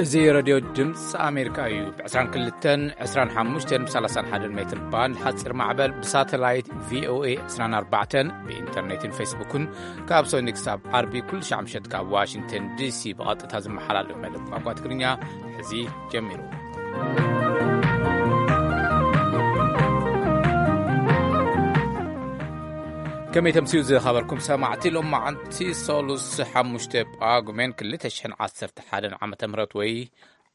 እዚ ሬድዮ ድምፂ ኣሜሪካ እዩ። ብ22፣ 25፣ ብ31 ሜትር ባንድ ሓፂር ማዕበል፣ ብሳተላይት ቪኦኤ 24፣ ብኢንተርኔትን ፌስቡክን ካብ ሰኒ ክሳብ ዓርቢ ኩሉ ሻዕ ምሸት ካብ ዋሽንግተን ዲሲ ብቐጥታ ዝመሓላለፍ መደብ ቋንቋ ትግርኛ ሕዚ ጀሚሩ። ከመይ ተምስዩ ዝኸበርኩም ሰማዕቲ፣ ሎም መዓንቲ ሰሉስ ሓሙሽተ ጳጉሜን ክልተ ሽሕን ዓሰርተ ሓደን ዓመተ ምህረት ወይ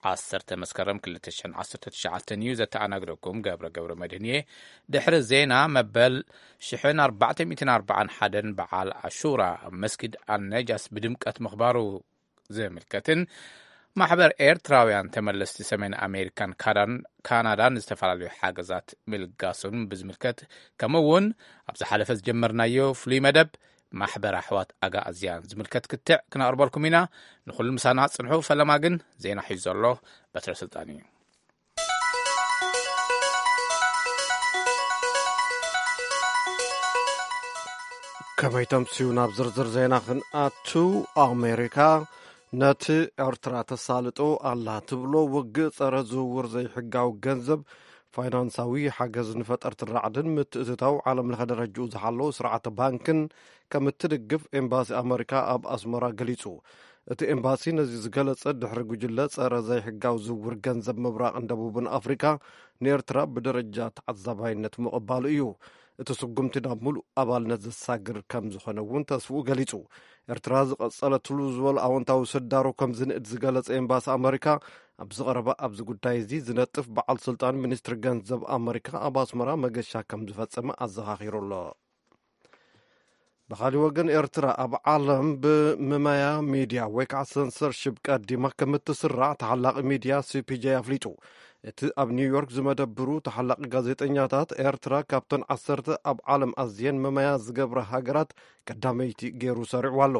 ዓሰርተ መስከረም ክልተ ሽሕን ዓሰርተ ትሽዓተን እዩ። ዘተኣናግደኩም ገብረ ገብረ መድህን እየ። ድሕሪ ዜና መበል ሽሕን ኣርባዕተ ሚእትን ኣርባዓን ሓደን በዓል ኣሹራ ኣብ መስጊድ ኣልነጃስ ብድምቀት ምኽባሩ ዝምልከትን ማሕበር ኤርትራውያን ተመለስቲ ሰሜን ኣሜሪካን ካዳን-፣ ካናዳን ዝተፈላለዩ ሓገዛት ምልጋሱን ብዝምልከት፣ ከምኡ እውን ኣብ ዝሓለፈ ዝጀመርናዮ ፍሉይ መደብ ማሕበር ኣሕዋት ኣጋኣዝያን ዝምልከት ክትዕ ክነቕርበልኩም ኢና። ንኹሉ ምሳና ጽንሑ። ፈለማ ግን ዜና ሒዙ ዘሎ በትረ ስልጣን እዩ። ከመይ ተምስዩ ናብ ዝርዝር ዜና ክንኣቱ፣ ኣሜሪካ ነቲ ኤርትራ ተሳልጦ ኣላ ትብሎ ውግእ ጸረ ዝውውር ዘይሕጋዊ ገንዘብ ፋይናንሳዊ ሓገዝ ንፈጠርቲ ራዕድን ምትእትታው ዓለም ለኸ ደረጅኡ ዝሓለዉ ስርዓተ ባንክን ከም እትድግፍ ኤምባሲ ኣመሪካ ኣብ ኣስመራ ገሊጹ። እቲ ኤምባሲ ነዚ ዝገለጸ ድሕሪ ጉጅለ ጸረ ዘይሕጋዊ ዝውውር ገንዘብ ምብራቕን ደቡብን ኣፍሪካ ንኤርትራ ብደረጃ ተዓዛባይነት ምቕባሉ እዩ። እቲ ስጉምቲ ናብ ሙሉእ ኣባልነት ዘሳግር ከም ዝኾነ እውን ተስፍኡ ገሊጹ። ኤርትራ ዝቐጸለትሉ ዝበሉ ኣወንታዊ ስዳሮ ከም ዝንእድ ዝገለጸ ኤምባሲ ኣመሪካ፣ ኣብዚ ቀረባ ኣብዚ ጉዳይ እዚ ዝነጥፍ በዓል ስልጣን ሚኒስትሪ ገንዘብ ኣመሪካ ኣብ ኣስመራ መገሻ ከም ዝፈጸመ ኣዘኻኺሩ ኣሎ። ብኻሊእ ወገን፣ ኤርትራ ኣብ ዓለም ብምመያ ሚድያ ወይ ከዓ ሰንሰርሺፕ ቀዲማ ከም እትስራዕ ተሓላቒ ሚድያ ሲ ፒ ጄ ኣፍሊጡ። እቲ ኣብ ኒውዮርክ ዝመደብሩ ተሓላቒ ጋዜጠኛታት፣ ኤርትራ ካብተን ዓሰርተ ኣብ ዓለም ኣዝየን መመያ ዝገብራ ሃገራት ቀዳመይቲ ገይሩ ሰሪዕዋ ኣሎ።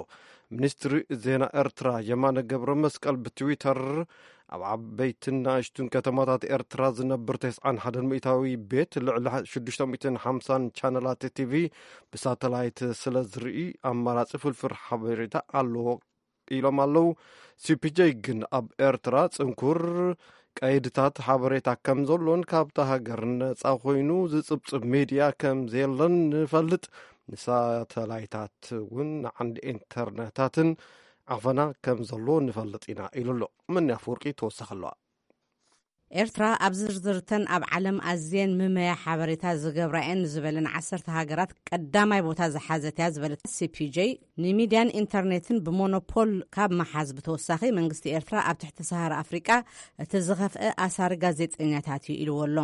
ሚኒስትሪ ዜና ኤርትራ የማነ ገብረ መስቀል ብትዊተር፣ ኣብ ዓበይትን ንኣሽቱን ከተማታት ኤርትራ ዝነብር ተስዓን ሓደን ሚእታዊ ቤት ልዕሊ ሽዱሽተ ሚእትን ሓምሳን ቻነላት ቲቪ ብሳተላይት ስለ ዝርኢ፣ ኣማራጺ ፍልፍል ሓበሬታ ኣለዎ ኢሎም ኣለዉ። ሲ ፒ ጄ ግን ኣብ ኤርትራ ጽንኩር ቀይድታት ሓበሬታ ከም ዘሎን ካብታ ሃገር ነጻ ኮይኑ ዝጽብጽብ ሚድያ ከም ዘየለን ንፈልጥ፣ ንሳተላይታት እውን ንዓንዲ ኢንተርነታትን ዓፈና ከም ዘሎ ንፈልጥ ኢና ኢሉ ኣሎ። መኒ ኣፈወርቂ ተወሳኺ ኣለዋ። ኤርትራ ኣብ ዝርዝርተን ኣብ ዓለም ኣዝየን ምመያ ሓበሬታ ዝገብራ እየን ዝበለን ዓሰርተ ሃገራት ቀዳማይ ቦታ ዝሓዘት እያ ዝበለት ሲ ፒ ጄ፣ ንሚድያን ኢንተርኔትን ብሞኖፖል ካብ መሓዝ ብተወሳኺ፣ መንግስቲ ኤርትራ ኣብ ትሕቲ ሰሃራ ኣፍሪቃ እቲ ዝኸፍአ ኣሳሪ ጋዜጠኛታት እዩ ኢልዎ ኣሎ።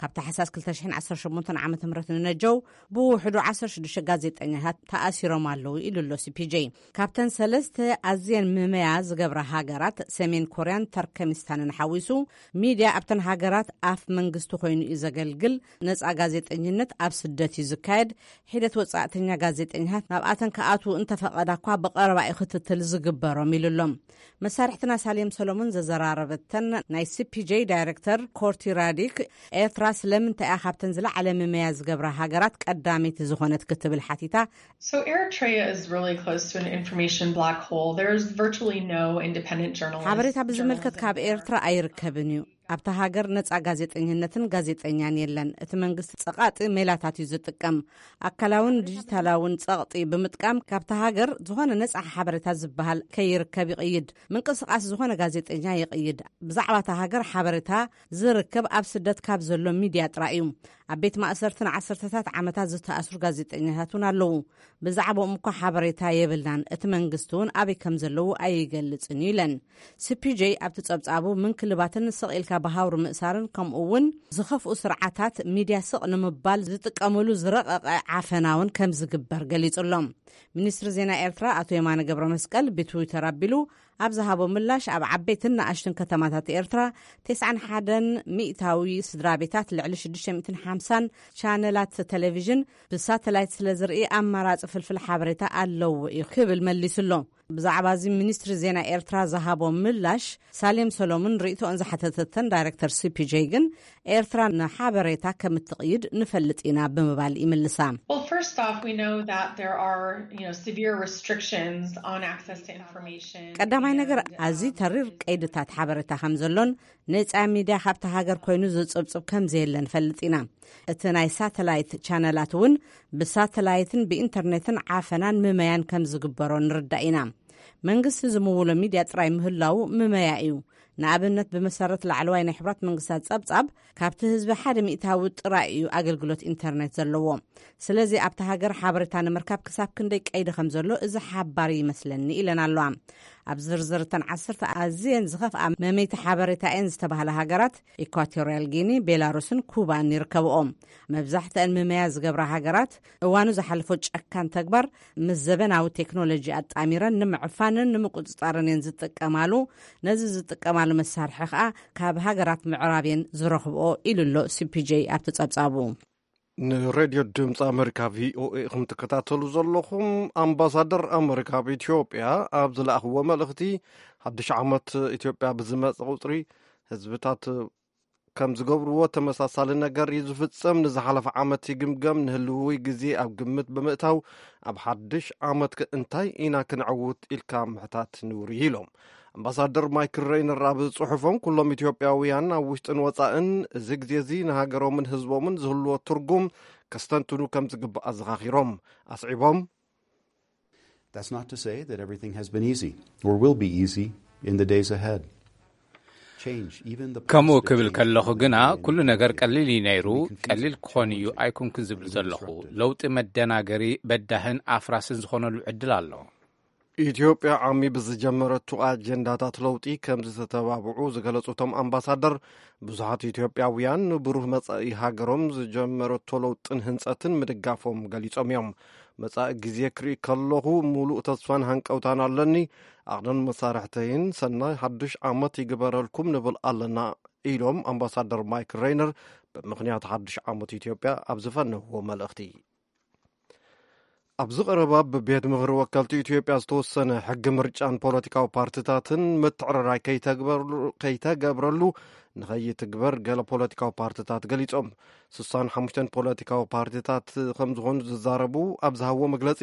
ካብ ታሕሳስ ክልተ ሽሕን ዓሰርተ ሸሞንተን ዓመተ ምህረት ንነጀው ብውሕዱ ዓሰርተ ሽዱሽተ ጋዜጠኛታት ተኣሲሮም ኣለዉ ኢሉ ኣሎ ሲ ፒ ጄ። ካብተን ሰለስተ ኣዝየን ምመያ ዝገብራ ሃገራት፣ ሰሜን ኮርያን ተርከሚስታንን ሓዊሱ፣ ሚድያ ኣብተን ሃገራት ኣፍ መንግስቲ ኮይኑ እዩ ዘገልግል። ነጻ ጋዜጠኝነት ኣብ ስደት እዩ ዝካየድ። ሒደት ወጻእተኛ ጋዜጠኛታት ናብኣተን ክኣትዉ እንተፈቐዳ እኳ ብቐረባ እዩ ክትትል ዝግበሮም ኢሉ ኣሎ። መሳርሕትና ሳሌም ሰሎሞን ዘዘራረበተን ናይ ሲ ፒ ጄ ዳይሬክተር ኮርቲ ራዲክ፣ ኤርትራ ስለምንታይ እያ ካብተን ዝለዓለ ምመያ ዝገብራ ሃገራት ቀዳመይቲ ዝኾነት ክትብል ሓቲታ። So Eritrea is really close to an information black hole. There's virtually no independent journalists. ሓበሬታ ብዝምልከት ካብ ኤርትራ ኣይርከብን እዩ። ኣብታ ሃገር ነጻ ጋዜጠኝነትን ጋዜጠኛን የለን። እቲ መንግስቲ ጸቓጢ ሜላታት እዩ ዝጥቀም። ኣካላውን ዲጂታላውን ጸቕጢ ብምጥቃም ካብታ ሃገር ዝኾነ ነጻ ሓበሬታ ዝበሃል ከይርከብ ይቕይድ። ምንቅስቓስ ዝኾነ ጋዜጠኛ ይቕይድ። ብዛዕባ እታ ሃገር ሓበሬታ ዝርከብ ኣብ ስደት ካብ ዘሎ ሚድያ ጥራይ እዩ። ኣብ ቤት ማእሰርትን ዓሰርተታት ዓመታት ዝተኣስሩ ጋዜጠኛታት እውን ኣለዉ። ብዛዕባኦም እኳ ሓበሬታ የብልናን። እቲ መንግስቲ እውን ኣበይ ከም ዘለዉ ኣይገልጽን እዩ ኢለን። ሲ ፒ ጄ ኣብቲ ጸብጻቡ ምንክልባትን ስቕ ኢልካ ብሃውሪ ምእሳርን ከምኡ እውን ዝኸፍኡ ስርዓታት ሚድያ ስቕ ንምባል ዝጥቀምሉ ዝረቐቐ ዓፈና እውን ከም ዝግበር ገሊጹ ኣሎ። ሚኒስትሪ ዜና ኤርትራ ኣቶ የማነ ገብረ መስቀል ብትዊተር ኣቢሉ ኣብ ዝሃቦ ምላሽ፣ ኣብ ዓበይትን ንኣሽቱን ከተማታት ኤርትራ ተስዓን ሓደን ሚእታዊ ስድራ ቤታት ልዕሊ ሽዱሽተ ሚእትን ሓምሳን ቻነላት ቴሌቪዥን ብሳተላይት ስለ ዝርኢ ኣማራጺ ፍልፍል ሓበሬታ ኣለዎ እዩ ክብል መሊሱ ኣሎ። ብዛዕባ እዚ ሚኒስትሪ ዜና ኤርትራ ዝሃቦ ምላሽ፣ ሳሌም ሰሎሙን ርእይቶኦን ዝሓተተተን ዳይሬክተር ሲ ፒ ጄ ግን፣ ኤርትራ ንሓበሬታ ከም እትቕይድ ንፈልጥ ኢና ብምባል ይምልሳ። Well, first off, we know that there are, you know, severe restrictions on access to information. ቀዳማይ ነገር፣ ኣዝዩ ተሪር ቀይድታት ሓበሬታ ከም ዘሎን ነጻ ሚድያ ካብቲ ሃገር ኮይኑ ዝጽብጽብ ከም ዘየለ ንፈልጥ ኢና። እቲ ናይ ሳተላይት ቻነላት እውን ብሳተላይትን ብኢንተርኔትን ዓፈናን ምመያን ከም ዝግበሮ ንርዳእ ኢና። መንግስቲ ዝምውሎ ሚድያ ጥራይ ምህላው ምመያ እዩ። ንኣብነት፣ ብመሰረት ላዕለዋይ ናይ ሕቡራት መንግስታት ጸብጻብ፣ ካብቲ ህዝቢ ሓደ ሚእታዊ ጥራይ እዩ ኣገልግሎት ኢንተርኔት ዘለዎ። ስለዚ ኣብቲ ሃገር ሓበሬታ ንምርካብ ክሳብ ክንደይ ቀይዲ ከም ዘሎ እዚ ሓባሪ ይመስለኒ፣ ኢለን ኣለዋ። ኣብ ዝርዝር እተን ዓሰርተ ኣዝየን ዝኸፍኣ መመይቲ ሓበሬታ እየን ዝተባህላ ሃገራት፣ ኢኳቶርያል ጊኒ፣ ቤላሩስን ኩባን ይርከብኦም። መብዛሕትአን ምመያ ዝገብራ ሃገራት፣ እዋኑ ዝሓለፎ ጨካን ተግባር ምስ ዘበናዊ ቴክኖሎጂ ኣጣሚረን ንምዕፋንን ንምቁጽጻርን እየን ዝጥቀማሉ። ነዚ ዝጥቀማሉ መሳርሒ ከኣ ካብ ሃገራት ምዕራብ እየን ዝረኽብኦ፣ ኢሉ ኣሎ ሲ ፒ ጄ ኣብቲ ጸብጻቡ። ንሬድዮ ድምፂ ኣመሪካ ቪ ኦ ኤ ኢኹም ትከታተሉ ዘለኹም። ኣምባሳደር ኣመሪካ ኣብ ኢትዮጵያ ኣብ ዝለኣኽዎ መልእኽቲ፣ ሓድሽ ዓመት ኢትዮጵያ ብዝመፀ ቁፅሪ ህዝብታት ከም ዝገብርዎ ተመሳሳሊ ነገር እዩ ዝፍፀም። ንዝሓለፈ ዓመት ይግምገም፣ ንህልዊ ግዜ ኣብ ግምት ብምእታው ኣብ ሓድሽ ዓመት ከ እንታይ ኢና ክነዕውት ኢልካ ምሕታት ንውሪ ኢሎም። ኣምባሳደር ማይክል ሬይነር ኣብ ጽሑፎም፣ ኩሎም ኢትዮጵያውያን ኣብ ውሽጥን ወጻእን እዚ ግዜ እዚ ንሃገሮምን ህዝቦምን ዝህልዎ ትርጉም ከስተንትኑ ከም ዝግባእ ኣዘኻኺሮም። ኣስዒቦም፣ That's not to say that everything has been easy or will be easy in the days ahead. Change, even the ከምኡ prospect ክብል of ከለኹ ግና change ኩሉ ነገር ቀሊል እዩ ነይሩ። can be confusing, ቀሊል ክኾን እዩ challenging, ኣይኮንኩን ዝብል and ዘለኹ። disruptive. ለውጢ መደናገሪ፣ በዳህን ኣፍራስን ዝኾነሉ ዕድል ኣሎ። ኢትዮጵያ ዓሚ ብዝጀመረቱ ኣጀንዳታት ለውጢ ከም ዝተተባብዑ ዝገለጹ እቶም ኣምባሳደር፣ ብዙሓት ኢትዮጵያውያን ንብሩህ መጻኢ ሃገሮም ዝጀመረቶ ለውጥን ህንጸትን ምድጋፎም ገሊጾም እዮም። መጻኢ ግዜ ክርኢ ከለኹ፣ ሙሉእ ተስፋን ሃንቀውታን ኣለኒ። ኣቕንን መሳርሕተይን ሰናይ ሓዱሽ ዓመት ይግበረልኩም ንብል ኣለና፣ ኢሎም ኣምባሳደር ማይክ ሬይነር ብምኽንያት ሓዱሽ ዓመት ኢትዮጵያ ኣብ ዝፈነውዎ መልእኽቲ። ኣብዚ ቀረባ ብቤት ምኽሪ ወከልቲ ኢትዮጵያ ዝተወሰነ ሕጊ ምርጫን ፖለቲካዊ ፓርቲታትን ምትዕርራይ ከይተግበርሉ- ከይተገብረሉ ንኸይትግበር ገለ ፖለቲካዊ ፓርቲታት ገሊጾም። ስሳን ሓሙሽተን ፖለቲካዊ ፓርቲታት ከም ዝኾኑ ዝዛረቡ ኣብ ዝሃብዎ መግለጺ፣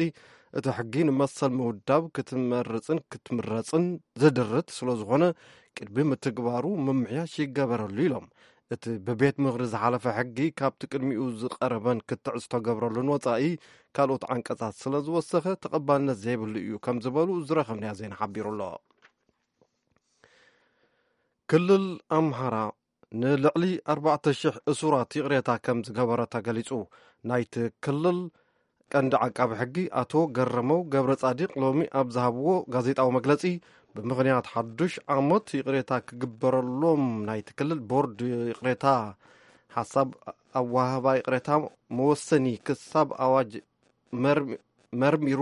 እቲ ሕጊ ንመሰል ምውዳብ ክትመርጽን ክትምረጽን ዝድርት ስለ ዝኾነ፣ ቅድሚ ምትግባሩ ምምሕያሽ ይገበረሉ ኢሎም። እቲ ብቤት ምኽሪ ዝሓለፈ ሕጊ ካብቲ ቅድሚኡ ዝቐረበን ክትዕ ዝተገብረሉን ወጻኢ ካልኦት ዓንቀጻት ስለ ዝወሰኸ ተቐባልነት ዘይብሉ እዩ ከም ዝበሉ ዝረኸብናዮ ዜና ሓቢሩ ኣሎ። ክልል ኣምሓራ ንልዕሊ ኣርባዕተ ሽሕ እሱራት ይቕሬታ ከም ዝገበረ ተገሊጹ። ናይቲ ክልል ቀንዲ ዓቃቢ ሕጊ ኣቶ ገረመው ገብረ ጻዲቕ ሎሚ ኣብ ዝሃብዎ ጋዜጣዊ መግለጺ፣ ብምኽንያት ሓዱሽ ዓመት ይቕሬታ ክግበረሎም ናይቲ ክልል ቦርድ ይቕሬታ ሓሳብ ኣዋህባ ይቕሬታ መወሰኒ ክሳብ ኣዋጅ መርሚ- መርሚሩ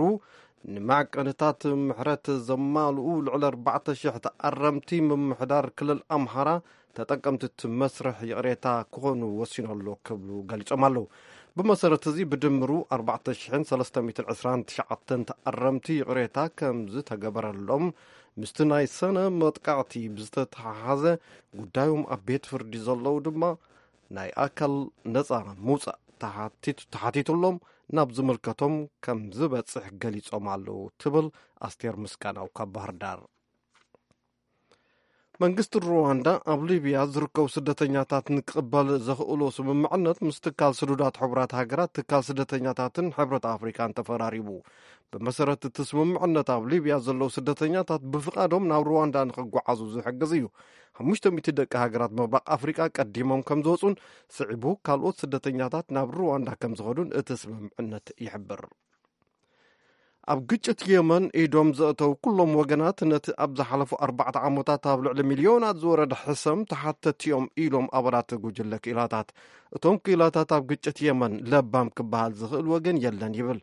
ንማዕቀንታት ምሕረት ዘማልኡ ልዕሊ ኣርባዕተ ሽሕ ተኣረምቲ ምምሕዳር ክልል ኣምሓራ ተጠቀምቲ እቲ መስርሕ ይቕሬታ ክኾኑ ወሲኑ ኣሎ ክብሉ ገሊጾም ኣለዉ። ብመሰረት እዚ ብድምሩ ኣርባዕተ ሽሕን ሰለስተ ሚእትን ዕስራን ትሽዓተን ተኣረምቲ ይቕሬታ ከም ዝተገበረሎም፣ ምስቲ ናይ ሰነ መጥቃዕቲ ብዝተተሓሓዘ ጉዳዮም ኣብ ቤት ፍርዲ ዘለዉ ድማ ናይ ኣካል ነጻ ምውጻእ ተሓቲቱ- ተሓቲቱሎም ናብ ዝምልከቶም ከም ዝበጽሕ ገሊጾም ኣለዉ ትብል ኣስቴር ምስጋናው ካብ ባህር ዳር። መንግስቲ ሩዋንዳ ኣብ ሊብያ ዝርከቡ ስደተኛታት ንክቕበል ዘኽእሎ ስምምዕነት ምስ ትካል ስዱዳት ሕቡራት ሃገራት፣ ትካል ስደተኛታትን ሕብረት ኣፍሪካን ተፈራሪሙ። ብመሰረት እቲ ስምምዕነት ኣብ ሊብያ ዘለዉ ስደተኛታት ብፍቓዶም ናብ ሩዋንዳ ንክጓዓዙ ዝሕግዝ እዩ። ሓሙሽተ ሚእቲ ደቂ ሃገራት ምብራቕ ኣፍሪቃ ቀዲሞም ከም ዝወፁን ስዒቡ ካልኦት ስደተኛታት ናብ ሩዋንዳ ከም ዝኸዱን እቲ ስምምዕነት ይሕብር። ኣብ ግጭት የመን ኢዶም ዘእተው ኩሎም ወገናት ነቲ ኣብ ዝሓለፉ ኣርባዕተ ዓመታት ኣብ ልዕሊ ሚልዮናት ዝወረደ ሕሰም ተሓተቲ እዮም ኢሎም ኣባላት ጉጅለ ክኢላታት። እቶም ክኢላታት ኣብ ግጭት የመን ለባም ክበሃል ዝኽእል ወገን የለን ይብል።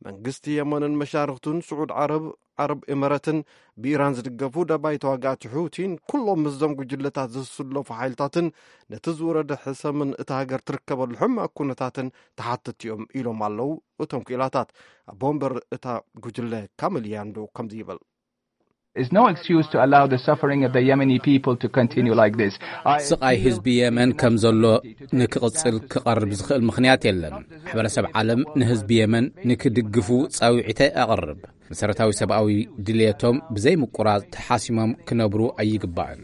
መንግስቲ የመንን መሻርክቱን ስዑድ ዓረብ ዓረብ ኤመረትን ብኢራን ዝድገፉ ደባይ ተዋጋእቲ ሑቲን ኩሎም ምስዞም ጉጅለታት ዝስለፉ ሓይልታትን ነቲ ዝወረደ ሕሰምን እታ ሃገር ትርከበሉ ሕማቕ ኩነታትን ተሓተቲ እዮም ኢሎም ኣለዉ። እቶም ክኢላታት ኣቦ ወንበር እታ ጉጅለ ካምል ያንዶ ከምዚ ይብል። Is no excuse to allow the suffering of the Yemeni people to continue like this. I ስቓይ ህዝቢ የመን ከም ዘሎ ንክቕጽል ክቐርብ ዝኽእል ምኽንያት የለን። ማሕበረሰብ ዓለም ንህዝቢ የመን ንክድግፉ ጻውዒተ ኣቕርብ። መሰረታዊ ሰብኣዊ ድልየቶም ብዘይ ምቁራጽ ተሓሲሞም ክነብሩ ኣይግባእን።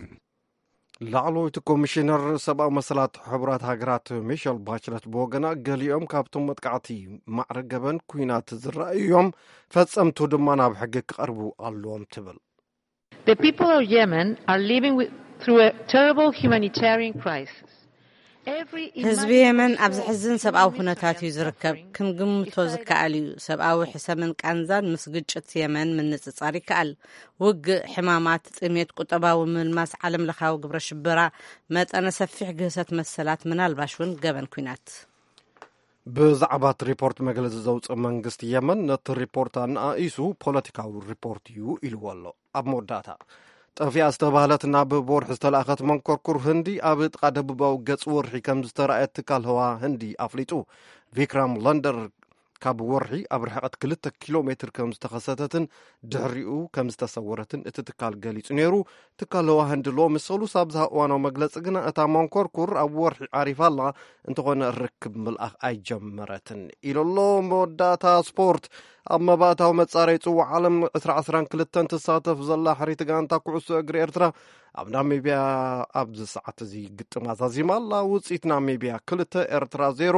ላዕለወይቲ ኮሚሽነር ሰብኣዊ መሰላት ሕቡራት ሃገራት ሚሸል ባችለት ብወገና፣ ገሊኦም ካብቶም መጥቃዕቲ ማዕረ ገበን ኩናት ዝረኣዩ እዮም፣ ፈጸምቱ ድማ ናብ ሕጊ ክቐርቡ ኣለዎም ትብል። The people of Yemen are living with, through a terrible humanitarian crisis. Every ህዝቢ የመን ኣብ ዘሕዝን ሰብኣዊ ኩነታት እዩ ዝርከብ። ክንግምቶ ዝከኣል እዩ። ሰብኣዊ ሕሰምን ቃንዛን ምስ ግጭት የመን ምንጽጻር ይከኣል። ውግእ፣ ሕማማት፣ ጥሜት፣ ቁጠባዊ ምልማስ፣ ዓለም ለኻዊ ግብረ ሽበራ፣ መጠነ ሰፊሕ ግህሰት መሰላት፣ ምናልባሽ እውን ገበን ኩናት። ብዛዕባ እቲ ሪፖርት መግለጺ ዘውፅእ መንግስቲ የመን፣ ነቲ ሪፖርት ኣነኣኢሱ ፖለቲካዊ ሪፖርት እዩ ኢልዎ ኣሎ። ኣብ መወዳእታ፣ ጠፊኣ ዝተባህለት ናብ ወርሒ ዝተላእኸት መንኮርኩር ህንዲ ኣብ ጥቓ ደቡባዊ ገጽ ወርሒ ከም ዝተረኣየት ትካል ህዋ ህንዲ ኣፍሊጡ። ቪክራም ላንደር ካብ ወርሒ ኣብ ርሕቐት ክልተ ኪሎ ሜትር ከም ዝተኸሰተትን ድሕሪኡ ከም ዝተሰወረትን እቲ ትካል ገሊጹ ነይሩ። ትካል ህዋ ህንዲ ሎሚ ሰሉስ ኣብ ዝሃብ እዋናዊ መግለጺ ግና፣ እታ መንኮርኩር ኣብ ወርሒ ዓሪፋ ኣላ፣ እንተኾነ ርክብ ምልኣኽ ኣይጀመረትን ኢሉ ኣሎ። መወዳእታ ስፖርት። ኣብ መባእታዊ መጻረይ ጽዋዕ ዓለም ዕስራ ዕስራን ክልተን ትሳተፍ ዘላ ሕሪት ጋንታ ኩዕሶ እግሪ ኤርትራ፣ ኣብ ናሚብያ ኣብዚ ሰዓት እዚ ግጥም ኣዛዚማ ኣላ። ውጽኢት ናሚብያ ክልተ ኤርትራ ዜሮ፣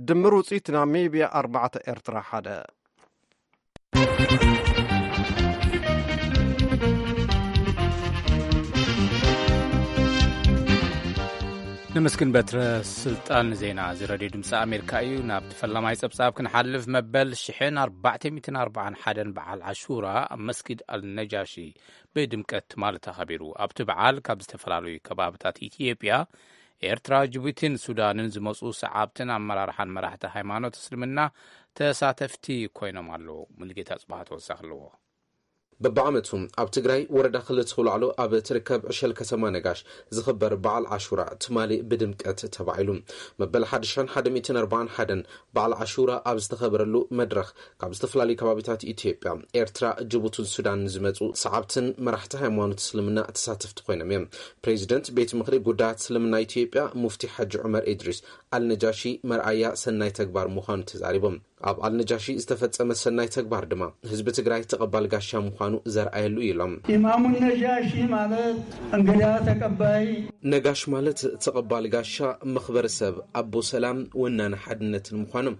ድምር ውጽኢት ናሚብያ ኣርባዕተ ኤርትራ ሓደ። ነመስግን በትረ ስልጣን። ዜና እዚ ሬድዮ ድምፂ ኣሜሪካ እዩ። ናብ ፈላማይ ጸብጻብ ክንሓልፍ፣ መበል ሽሕን ኣርባዕተ ሚእትን ኣርባዓን ሓደን በዓል ዓሹራ ኣብ መስጊድ ኣልነጃሺ ብድምቀት ትማሊ ተኸቢሩ። ኣብቲ በዓል ካብ ዝተፈላለዩ ከባብታት ኢትዮጵያ፣ ኤርትራ፣ ጅቡቲን ሱዳንን ዝመፁ ሰዓብትን ኣመራርሓን መራሕቲ ሃይማኖት እስልምና ተሳተፍቲ ኮይኖም ኣለዉ። ሙሉጌታ ጽባህ ተወሳኺ ኣለዎ። በብዓመቱ ኣብ ትግራይ ወረዳ ክልተ ውላዕሎ ኣብ ትርከብ ዕሸል ከተማ ነጋሽ ዝኽበር በዓል ዓሹራ ትማሊ ብድምቀት ተባዒሉ። መበል ሓድሽን ሓደ ሚእትን ኣርባዓን ሓደን በዓል ዓሹራ ኣብ ዝተኸበረሉ መድረኽ፣ ካብ ዝተፈላለዩ ከባቢታት ኢትዮጵያ፣ ኤርትራ፣ ጅቡትን ሱዳን ዝመፁ ሰዓብትን መራሕቲ ሃይማኖት እስልምና ተሳተፍቲ ኮይኖም እዮም። ፕሬዚደንት ቤት ምኽሪ ጉዳያት እስልምና ኢትዮጵያ ሙፍቲ ሓጂ ዑመር ኢድሪስ፣ ኣልነጃሺ መርኣያ ሰናይ ተግባር ምዃኑ ተዛሪቦም። ኣብ ኣልነጃሺ ዝተፈጸመ ሰናይ ተግባር ድማ ህዝቢ ትግራይ ተቐባል ጋሻ ምዃኑ ዘርኣየሉ እዩ ኢሎም። ኢማሙ ነጃሺ ማለት እንግዳ ተቀባይ። ነጋሽ ማለት ተቐባል ጋሻ፣ መኽበሪ ሰብ፣ ኣቦ ሰላም፣ ወናኒ ሓድነትን ምዃኖም፣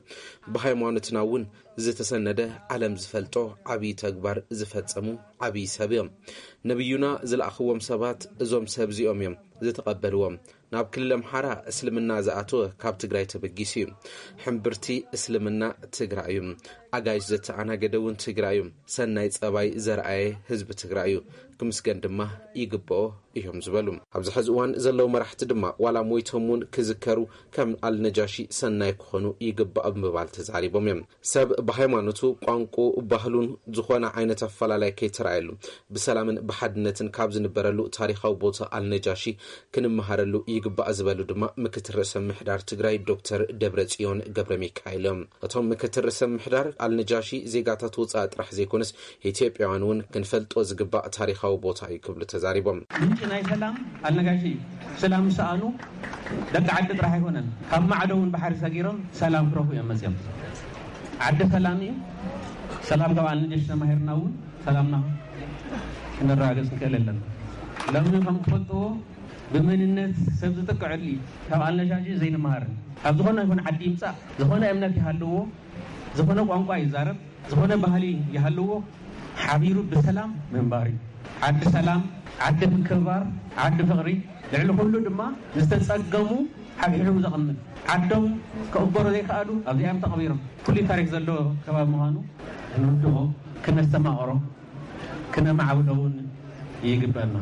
ብሃይማኖትና እውን ዝተሰነደ፣ ዓለም ዝፈልጦ ዓብዪ ተግባር ዝፈጸሙ ዓብዪ ሰብ እዮም። ነቢዩና ዝለኣኽዎም ሰባት እዞም ሰብ እዚኦም እዮም ዝተቐበልዎም። ናብ ክልል ኣምሓራ እስልምና ዝኣተወ ካብ ትግራይ ተበጊሱ እዩ። ሕምብርቲ እስልምና ትግራይ እዩ። ኣጋይሽ ዘተኣናገደ እውን ትግራይ እዩ። ሰናይ ጸባይ ዘርኣየ ህዝቢ ትግራይ እዩ። ክምስገን ድማ ይግብኦ እዮም ዝበሉ። ኣብዚ ሕዚ እዋን ዘለዉ መራሕቲ ድማ ዋላ ሞይቶም እውን ክዝከሩ ከም ኣልነጃሺ ሰናይ ክኾኑ ይግባእ ብምባል ተዛሪቦም እዮም። ሰብ ብሃይማኖቱ፣ ቋንቋ፣ ባህሉን ዝኾነ ዓይነት ኣፈላላይ ከይተራእየሉ ብሰላምን ብሓድነትን ካብ ዝንበረሉ ታሪኻዊ ቦታ ኣልነጃሺ ክንመሃረሉ ይግባእ ዝበሉ ድማ ምክትል ርእሰ ምሕዳር ትግራይ ዶክተር ደብረጽዮን ገብረ ሚካኤል እዮም። እቶም ምክትል ርእሰ ምሕዳር፣ ኣልነጃሺ ዜጋታት ወፃኢ ጥራሕ ዘይኮነስ ኢትዮጵያውያን እውን ክንፈልጦ ዝግባእ ታሪኻዊ ቦታ እዩ ክብሉ ተዛሪቦም። ምንጪ ናይ ሰላም ኣልነጋሺ እዩ። ሰላም ዝሰኣኑ ደቂ ዓዲ ጥራሕ ኣይኮነን፣ ካብ ማዕዶ እውን ባሕሪ ሰጊሮም ሰላም ክረኽቡ እዮም መፅዮም። ዓዲ ሰላም እዩ። ሰላም ካብ ኣልነጃሺ ተማሂርና እውን ሰላምና ክነረጋግፅ ንክእል ኣለና። ሎሚ ከም ትፈልጥዎ ብመንነት ሰብ ዝጥቅዐሉ እዩ። ካብ ኣልነጃሺ ዘይንመሃርን፣ ካብ ዝኾነ ይኹን ዓዲ ይምፃእ፣ ዝኾነ እምነት ይሃልዎ፣ ዝኾነ ቋንቋ ይዛረብ፣ ዝኾነ ባህሊ ይሃልዎ፣ ሓቢሩ ብሰላም ምንባር እዩ። ዓዲ ሰላም፣ ዓዲ ምክብባር፣ ዓዲ ፍቕሪ፣ ልዕሊ ኩሉ ድማ ዝተጸገሙ ሓብሒቡ ዘቐምጥ። ዓዶም ክቕበሩ ዘይከኣሉ ኣብዚኣም ተቐቢሮም። ፍሉይ ታሪክ ዘለዎ ከባቢ ምዃኑ ክንርድኦ፣ ክነስተማቕሮ፣ ክነማዕብሎ እውን ይግበኣና።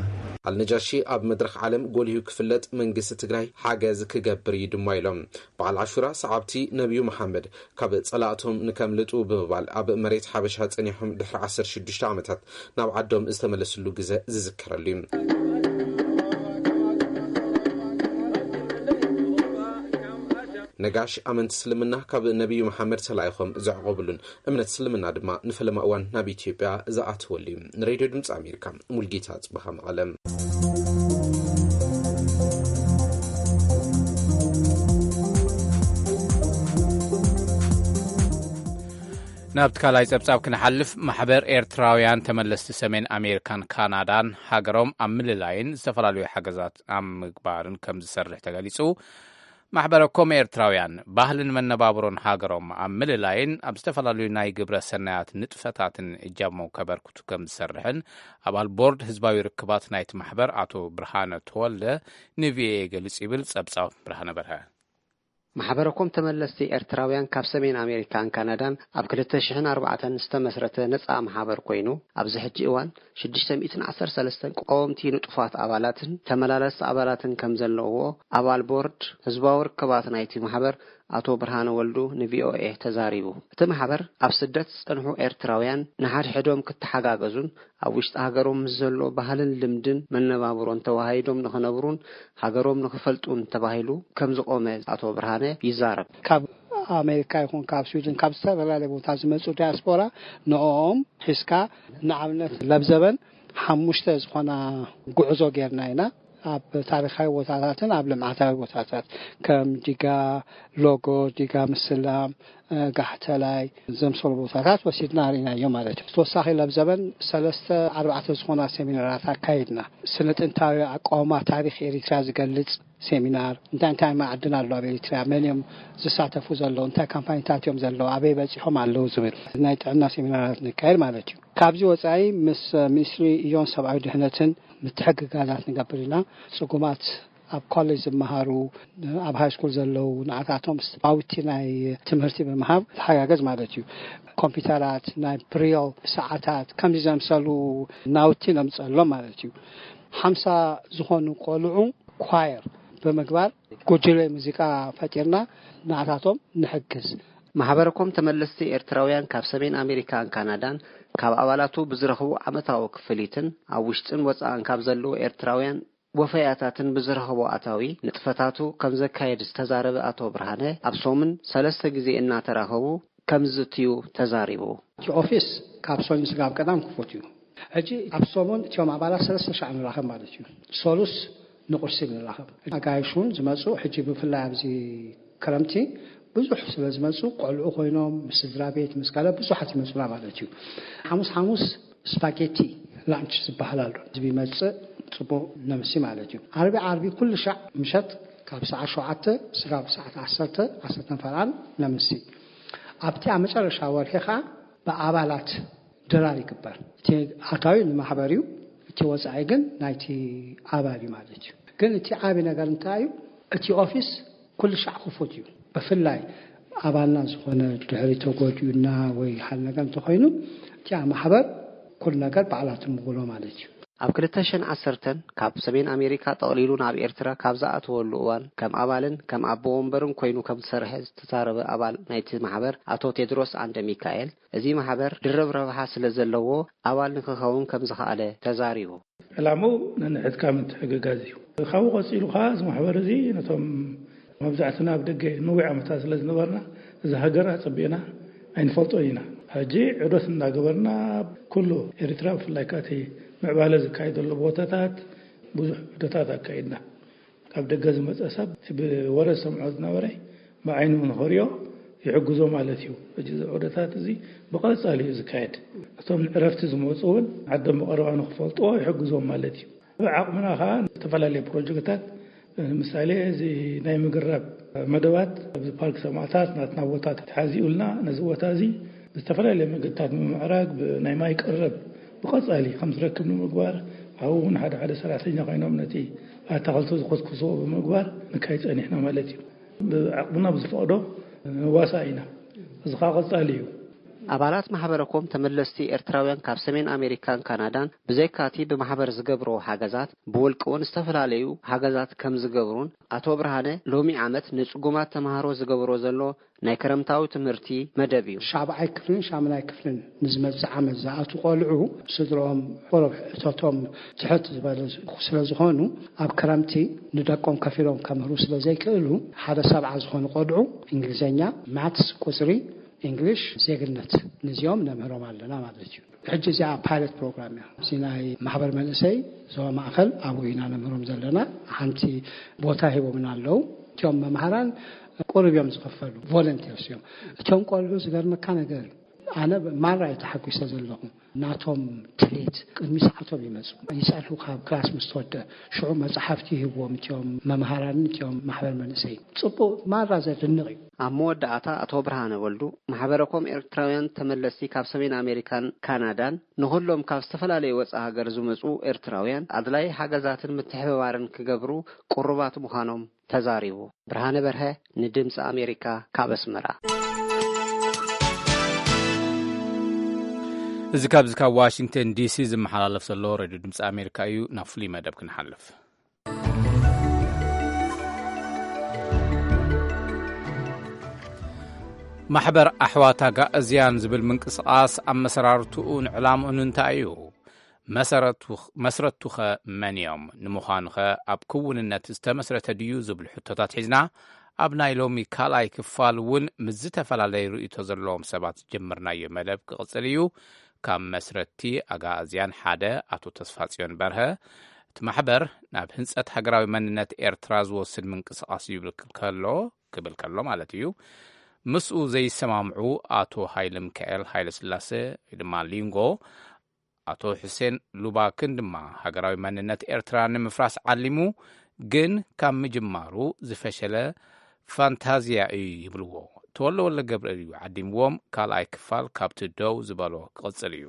ኣልነጃሺ ኣብ መድረኽ ዓለም ጎሊሁ ክፍለጥ መንግስቲ ትግራይ ሓገዝ ክገብር እዩ ድማ ኢሎም። በዓል ዓሹራ ሰዓብቲ ነቢዩ መሓመድ ካብ ጸላእቶም ንከምልጡ ብምባል ኣብ መሬት ሓበሻ ጸኒሖም ድሕሪ ዓሰርተ ሽዱሽተ ዓመታት ናብ ዓዶም ዝተመለስሉ ግዘ ዝዝከረሉ እዩ። ነጋሽ ኣመንቲ እስልምና ካብ ነቢዩ መሓመድ ተላኢኾም ዘዕቆብሉን እምነት እስልምና ድማ ንፈለማ እዋን ናብ ኢትዮጵያ ዝኣተወሉ እዩ። ንሬድዮ ድምፂ ኣሜሪካ ሙልጌታ ጽበኻ መቐለም። ናብቲ ካልኣይ ጸብጻብ ክንሓልፍ፣ ማሕበር ኤርትራውያን ተመለስቲ ሰሜን ኣሜሪካን ካናዳን ሃገሮም ኣብ ምልላይን ዝተፈላለዩ ሓገዛት ኣብ ምግባርን ከም ዝሰርሕ ተገሊጹ። ማሕበረ ኮም ኤርትራውያን ባህልን መነባብሮን ሃገሮም ኣብ ምልላይን ኣብ ዝተፈላለዩ ናይ ግብረ ሰናያት ንጥፈታትን እጃሞም ከበርክቱ ከም ዝሰርሕን ኣባል ቦርድ ህዝባዊ ርክባት ናይቲ ማሕበር ኣቶ ብርሃነ ተወልደ ንቪኦኤ ገሊጹ ይብል ጸብጻብ ብርሃነ በርሀ። ማሕበረ ኮም ተመለስቲ ኤርትራውያን ካብ ሰሜን ኣሜሪካን ካናዳን ኣብ ክልተ ሽሕን ኣርባዕተን ዝተመስረተ ነጻ ማሕበር ኮይኑ፣ ኣብዚ ሕጂ እዋን ሽዱሽተ ሚእትን ዓሰርተ ሰለስተን ቀወምቲ ንጡፋት ኣባላትን ተመላለስቲ ኣባላትን ከም ዘለውዎ ኣባል ቦርድ ህዝባዊ ርክባት ናይቲ ማሕበር ኣቶ ብርሃነ ወልዱ ንቪኦኤ ተዛሪቡ። እቲ ማሕበር ኣብ ስደት ዝጸንሑ ኤርትራውያን ንሓድሕዶም ክተሓጋገዙን ኣብ ውሽጢ ሃገሮም ምስ ዘሎ ባህልን ልምድን መነባብሮን ተዋሃሂዶም ንኽነብሩን ሃገሮም ንኽፈልጡን ተባሂሉ ከም ዝቖመ ኣቶ ብርሃነ ይዛረብ። ካብ ኣሜሪካ ይኹን ካብ ስዊድን ካብ ዝተፈላለየ ቦታ ዝመጹ ዲያስፖራ ንኦም ሒዝካ ንኣብነት ለብዘበን ሓሙሽተ ዝኾና ጉዕዞ ጌርና ኢና። ኣብ ታሪኻዊ ቦታታትን ኣብ ልምዓታዊ ቦታታት ከም ዲጋ ሎጎ፣ ዲጋ ምስላም፣ እ፣ ጋሕተላይ ዘምሰሉ ቦታታት ወሲድና ርኢናዮ ማለት እዩ። ተወሳኺ ለብዘበን ሰለስተ ኣርባዕተ ዝኾና ሴሚናራት ኣካይድና። ስነ ጥንታዊ ኣቃውማ ታሪኽ ኤሪትራ ዝገልጽ ሴሚናር፣ እንታይ እንታይ ማዕድን ኣሎ ኣብ ኤሪትራ፣ መን እዮም ዝሳተፉ ዘለዉ፣ እንታይ ካምፓኒታት እዮም ዘለዉ፣ ኣበይ በጺሖም ኣለዉ ዝብል ናይ ጥዕና ሴሚናራት ነካየድ ማለት እዩ። ካብዚ ወጻኢ ምስ ሚኒስትሪ እዮን ሰብኣዊ ድሕነትን ምትሕግጋዛት ንገብር ኢና። ጽጉማት ኣብ ኮሌጅ ዝመሃሩ፣ ኣብ ሃይ ስኩል ዘለዉ ንዓታቶም ናውቲ ናይ ትምህርቲ ብምሃብ ተሓጋገዝ ማለት እዩ። ኮምፒውተራት፣ ናይ ብሬል ሰዓታት፣ ከምዚ ዘምሰሉ ናውቲ ነምጸሎም ማለት እዩ። ሓምሳ ዝኾኑ ቆልዑ ኳየር ብምግባር ጉጅለ ሙዚቃ ፈጢርና ንዓታቶም ንሕግዝ። ማሕበረ ኮም ተመለስቲ ኤርትራውያን ካብ ሰሜን ኣሜሪካን ካናዳን ካብ ኣባላቱ ብዝረኽቦ ዓመታዊ ክፍሊትን ኣብ ውሽጥን ወጻእን ካብ ዘለዉ ኤርትራውያን ወፈያታትን ብዝረኽቦ ኣታዊ ንጥፈታቱ ከም ዘካየድ ዝተዛረበ ኣቶ ብርሃነ፣ ኣብ ሰሙን ሰለስተ ግዜ እናተራኸቡ ከም ዝዝትዩ ተዛሪቡ። እቲ ኦፊስ ካብ ሰኞ ስጋብ ቀዳም ክፉት እዩ። ሕጂ ኣብ ሰሙን እቲኦም ኣባላት ሰለስተ ሻዕ ንራኸብ ማለት እዩ። ሰሉስ ንቁርሲ ንራኸብ። ኣጋይሽ እውን ዝመጹ፣ ሕጂ ብፍላይ ኣብዚ ክረምቲ ብዙሕ ስለ ዝመጹ፣ ቆልዑ ኮይኖም፣ ምስ ስድራ ቤት፣ ምስ ካልእ ብዙሓት ይመጹና ማለት እዩ። ሓሙስ ሓሙስ ስፓጌቲ ላንች ዝበሃል ኣሎ። ህዝቢ ይመጽእ፣ ጽቡቕ ነምሲ ማለት እዩ። ዓርቢ ዓርቢ ኩሉ ሻዕ ምሸት ካብ ሰዓት ሸውዓተ ስጋብ ሰዓት ዓሰርተ፣ ዓሰርተ ፈልዓል ነምሲ። ኣብቲ ኣብ መጨረሻ ወርሒ ኸዓ ብኣባላት ድራር ይግበር። እቲ ኣታዊ ንማሕበር እዩ፣ እቲ ወጻኢ ግን ናይቲ ኣባል እዩ ማለት እዩ። ግን እቲ ዓቢ ነገር እንታይ እዩ? እቲ ኦፊስ ኩሉ ሻዕ ክፉት እዩ። ብፍላይ ኣባልና ዝኾነ ድሕሪ ተጎዲኡና ወይ ሓደ ነገር እንተኾይኑ፣ እቲ ኣብ ማሕበር ኩሉ ነገር ባዕላ ትምጉሎ ማለት እዩ። ኣብ ክልተ ሽሕን ዓሰርተን ካብ ሰሜን ኣሜሪካ ጠቕሊሉ ናብ ኤርትራ ካብ ዝኣተወሉ እዋን ከም ኣባልን ከም ኣቦ ወንበርን ኮይኑ ከም ዝሰርሐ ዝተዛረበ ኣባል ናይቲ ማሕበር ኣቶ ቴድሮስ ዓንደ ሚካኤል፣ እዚ ማሕበር ድርብ ረብሓ ስለ ዘለዎ ኣባል ንክኸውን ከም ዝኸኣለ ተዛሪቡ። ዕላምኡ ነንሕድካ ምትሕግጋዝ እዩ። ካብኡ ቀጺሉ ከኣ እዚ ማሕበር እዚ ነቶም መብዛሕትና ኣብ ደገ ነዊሕ ዓመታት ስለ ዝነበርና፣ እዚ ሃገር ኣጸቢቕና ኣይንፈልጦን ኢና። ሕጂ ዑደት እናገበርና ኩሉ ኤርትራ፣ ብፍላይ ከኣ እቲ ምዕባለ ዝካየደሉ ቦታታት ብዙሕ ዑደታት ኣካይድና። ካብ ደገ ዝመጸ ሰብ እቲ ብወረ ዝሰምዖ ዝነበረ ብዓይኑ ንኽሪኦ ይሕግዞ ማለት እዩ። ሕጂ እዚ ዑደታት እዚ ብቐጻሊ እዩ ዝካየድ። እቶም ንዕረፍቲ ዝመጹ እውን ዓዶም ብቐረባ ንኽፈልጥዎ ይሕግዞም ማለት እዩ። ብዓቕምና ኸዓ ዝተፈላለዩ ፕሮጀክታት፣ ምሳሌ እዚ ናይ ምግራብ መደባት ኣብዚ ፓርክ ሰማእታት ናትና ቦታ ተሓዚኡልና፣ ነዚ ቦታ እዚ ብዝተፈላለየ መገድታት ንምምዕራግ፣ ብናይ ማይ ቀረብ ብቐጻሊ ከም ዝረክብ ንምግባር፣ ኣብኡ እውን ሓደ ሓደ ሰራሕተኛ ኮይኖም ነቲ ኣታኽልቲ ዝኹስኩስዎ ብምግባር ንካይ ጸኒሕና ማለት እዩ። ብዓቕምና ብዝፈቕዶ ንዋሳእ ኢና። እዚ ኸዓ ቀጻሊ እዩ። ኣባላት ማሕበረኮም ተመለስቲ ኤርትራውያን ካብ ሰሜን ኣሜሪካን ካናዳን ብዘይካቲ ብማሕበር ዝገብርዎ ሓገዛት ብውልቂ እውን ዝተፈላለዩ ሓገዛት ከም ዝገብሩን ኣቶ ብርሃነ ሎሚ ዓመት ንጽጉማት ተምሃሮ ዝገብሮ ዘሎ ናይ ክረምታዊ ትምህርቲ መደብ እዩ። ሻብዓይ ክፍልን ሻምናይ ክፍልን ንዝመጽእ ዓመት ዝኣቱ ቆልዑ ስድሮም ቆረብ እቶቶም ትሕት ዝበለ ስለ ዝኾኑ ኣብ ክረምቲ ንደቆም ከፊሎም ከምህሩ ስለ ዘይክእሉ ሓደ ሰብዓ ዝኾኑ ቆልዑ እንግሊዝኛ፣ ማትስ፣ ቁፅሪ፣ እንግሊሽ፣ ዜግነት ንዚኦም ነምህሮም ኣለና ማለት እዩ። ሕጂ እዚኣ ፓይለት ፕሮግራም እያ። እዚ ናይ ማሕበር መንእሰይ ዞባ ማእኸል ኣብኡ ኢና ነምህሮም ዘለና። ሓንቲ ቦታ ሂቦምና ኣለዉ። እቲኦም መምሃራን ቁሩብ እዮም ዝኽፈሉ፣ ቮለንቲርስ እዮም። እቶም ቆልዑ ዝገርመካ ነገር እዩ። ኣነ ማራ እየ ተሓጒሰ ዘለኹ። ናቶም ትሌት ቅድሚ ሰዓቶም ይመጹ። ይጸንሑ ካብ ክላስ ምስ ተወደ ሽዑ መጽሓፍቲ ይህብዎም እቲኦም መምሃራንን እቲኦም ማሕበር መንእሰይ። ጽቡቕ ማራ ዘድንቕ እዩ። ኣብ መወዳእታ ኣቶ ብርሃነ ወልዱ ማሕበረኮም ኤርትራውያን ተመለስቲ ካብ ሰሜን ኣሜሪካን ካናዳን ንኹሎም ካብ ዝተፈላለዩ ወጻኢ ሃገር ዝመጹ ኤርትራውያን ኣድላይ ሓገዛትን ምትሕብባርን ክገብሩ ቅሩባት ምዃኖም ተዛሪቡ። ብርሃነ በርሀ ንድምፂ ኣሜሪካ ካብ ኣስመራ። እዚ ካብዚ ካብ ዋሽንግተን ዲሲ ዝመሓላለፍ ዘሎ ሬድዮ ድምፂ ኣሜሪካ እዩ። ናብ ፍሉይ መደብ ክንሓልፍ። ማሕበር ኣሕዋት ኣጋእዝያን ዝብል ምንቅስቓስ ኣመሰራርትኡን ዕላምኡን እንታይ እዩ? መሰረቱ-፣ መስረቱኸ መን እዮም? ንምዃኑኸ ኣብ ክውንነት ዝተመስረተ ድዩ ዝብሉ ሕቶታት ሒዝና ኣብ ናይ ሎሚ ካልኣይ ክፋል እውን ምስ ዝተፈላለዩ ርእይቶ ዘለዎም ሰባት ዝጀመርናዮ መደብ ክቕጽል እዩ። ካብ መስረቲ ኣጋእዝያን ሓደ ኣቶ ተስፋጽዮን በርሀ፣ እቲ ማሕበር ናብ ህንጸት ሃገራዊ መንነት ኤርትራ ዝወስድ ምንቅስቓስ እዩ ይብል ከሎ፣ ክብል ከሎ ማለት እዩ፣ ምስኡ ዘይሰማምዑ ኣቶ ሃይለ ሚካኤል ሃይለ ስላሴ ወይ ድማ ሊንጎ፣ ኣቶ ሑሴን ሉባክን ድማ ሃገራዊ መንነት ኤርትራ ንምፍራስ ዓሊሙ ግን ካብ ምጅማሩ ዝፈሸለ ፋንታዝያ እዩ ይብልዎ። ተወልደ ወልደ ገብርኤል እዩ ዓዲምዎም። ካልኣይ ክፋል ካብቲ ደው ዝበሎ ክቕጽል እዩ።